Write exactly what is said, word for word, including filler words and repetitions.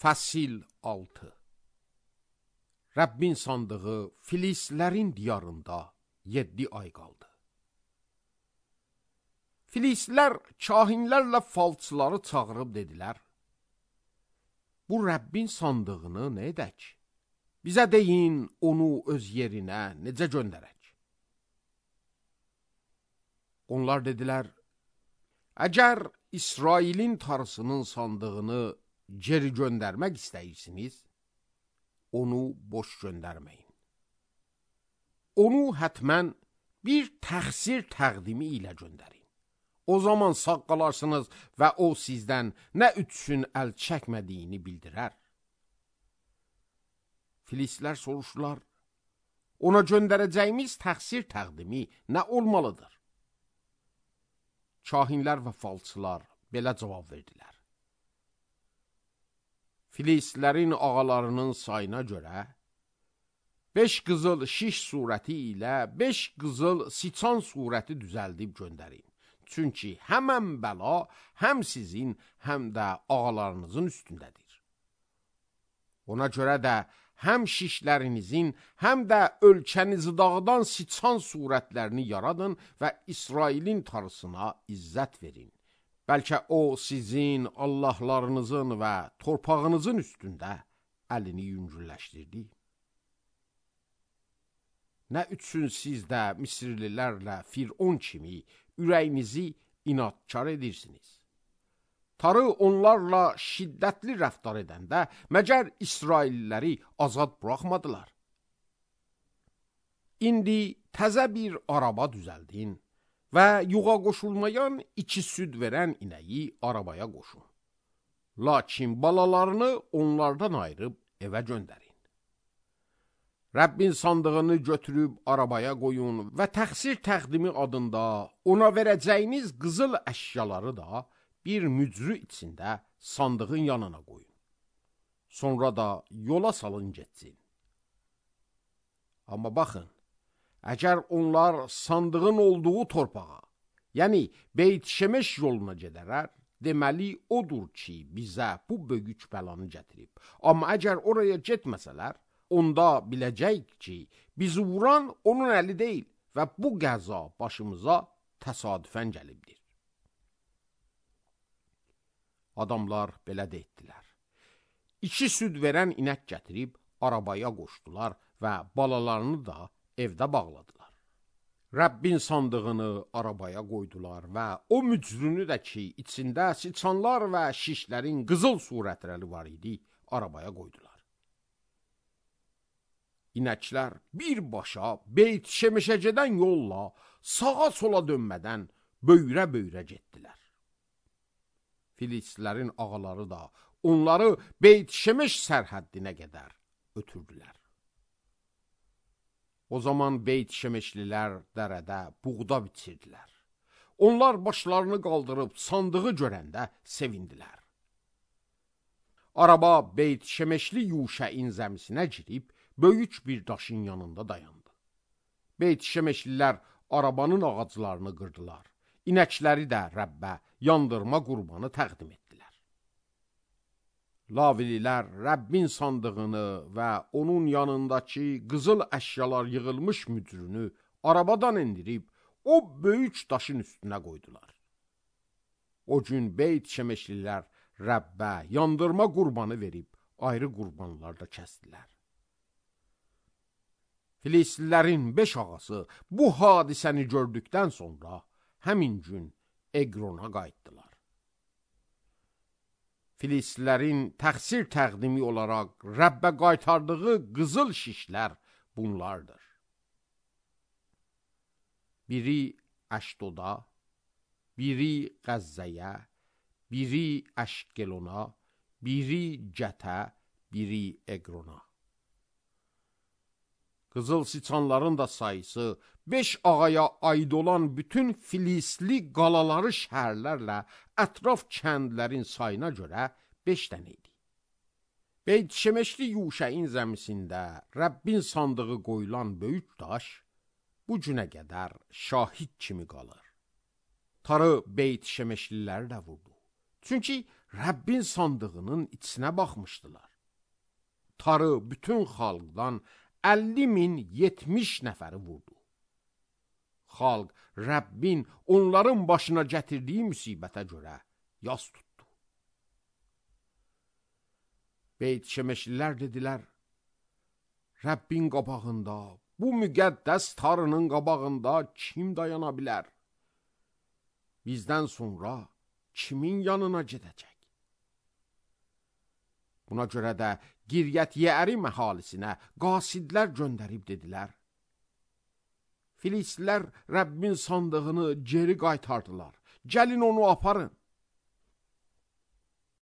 Fəsil altı. Rəbbin sandığı Filislərin diyarında yeddi ay qaldı. Filislər kahinlərlə falçıları çağırıb dedilər: Bu Rəbbin sandığını nə edək? Bizə deyin, onu öz yerinə necə göndərək? Onlar dedilər: Əgər İsrailin tarısının sandığını geri göndərmək istəyirsiniz, onu boş göndərməyin. Onu hətmən bir təxsir təqdimi ilə göndərin. O zaman sağ qalarsınız və o sizdən nə üçün əl çəkmədiyini bildirər. Filislər soruşdular: Ona göndərəcəyimiz təxsir təqdimi nə olmalıdır? Kahinlər və falçılar belə cavab verdilər: Filislərin ağalarının sayına görə beş qızıl şiş surəti ilə beş qızıl siçan surəti düzəldib göndərin. Çünki həmən bəla həm sizin, həm də ağalarınızın üstündədir. Ona görə də həm şişlərinizin, həm də ölkənizi dağıdan siçan surətlərini yaradın və İsrailin tarısına izzət verin. Bəlkə o sizin Allahlarınızın və torpağınızın üstündə əlini yüngülləşdirdi. Nə üçün siz də Misirlilərlə Firon kimi ürəyinizi inadkar edirsiniz? Tarı onlarla şiddətli rəftar edəndə məgər İsrailləri azad buraxmadılar? İndi təzə bir araba düzəldin və yuğa qoşulmayan iki süd verən inəyi arabaya qoşun. Lakin balalarını onlardan ayırıb evə göndərin. Rəbbin sandığını götürüb arabaya qoyun və təxsir təqdimi adında ona verəcəyiniz qızıl əşyaları da bir mücrü içində sandığın yanına qoyun. Sonra da yola salın getsin. Amma baxın, əgər onlar sandığın olduğu torpağa, yəni Beyt Şemeş yoluna gedərər, deməli odur ki, bizə bu böyük bəlanı gətirib. Amma əgər oraya getməsələr, onda biləcəyik ki, bizi vuran onun əli deyil və bu qəza başımıza təsadüfən gəlibdir. Adamlar belə də etdilər. İki süd verən inək gətirib arabaya qoşdular və balalarını da evdə bağladılar. Rəbbin sandığını arabaya qoydular və o mücrünü də ki, içində siçanlar və şişlərin qızıl surətləri var idi, arabaya qoydular. İnəklər birbaşa Beyt Şemeşə gedən yolla sağa sola dönmədən böyrə-böyrə getdilər. Filislərin ağaları da onları Beyt Şemeş sərhəddinə qədər ötürdülər. O zaman Beyt Şemeşlilər dərədə buğda bitirdilər. Onlar başlarını qaldırıb sandığı görəndə sevindilər. Araba Beyt Şemeşli Yuşəin zəmisinə girib böyük bir daşın yanında dayandı. Beyt Şemeşlilər arabanın ağaclarını qırdılar. İnəkləri də Rəbbə yandırma qurbanı təqdim etdilər. Lavililər Rəbbin sandığını və onun yanındakı qızıl əşyalar yığılmış mücrünü arabadan indirib o böyük daşın üstünə qoydular. O gün Beyt Şemeşlilər Rəbbə yandırma qurbanı verib ayrı qurbanlar da kəsdilər. Filislilərin beş ağası bu hadisəni gördükdən sonra həmin gün Eqrona qayıtdılar. Filislilərin təxsir təqdimi olaraq Rəbbə qaytardığı qızıl şişlər bunlardır. Biri Əşdoda, biri Qəzzəyə, biri Əşkelona, biri Gətə, biri Eqrona. Qızıl siçanların da sayısı beş ağaya aid olan bütün Filisli qalaları şəhərlərlə ətraf kəndlərin sayına görə beş dənə idi. Beyt Şemeşli Yuşəin zəmisində Rəbbin sandığı qoyulan böyük daş bu günə qədər şahid kimi qalır. Tarı Beyt Şemeşliləri də vurdu. Çünki Rəbbin sandığının içinə baxmışdılar. Tarı bütün xalqdan əlli min yetmiş nəfəri vurdu. Xalq Rəbbin onların başına gətirdiyi müsibətə görə yas tutdu. Beyt Şemeşlilər dedilər, Rəbbin qabağında, bu müqəddəs tarının qabağında kim dayana bilər? Bizdən sonra kimin yanına gedəcək? Buna görə də Giryət Yeərim əhalisinə qasidlər göndərib dedilər, Filistlər Rəbbin sandığını geri qaytardılar, gəlin onu aparın.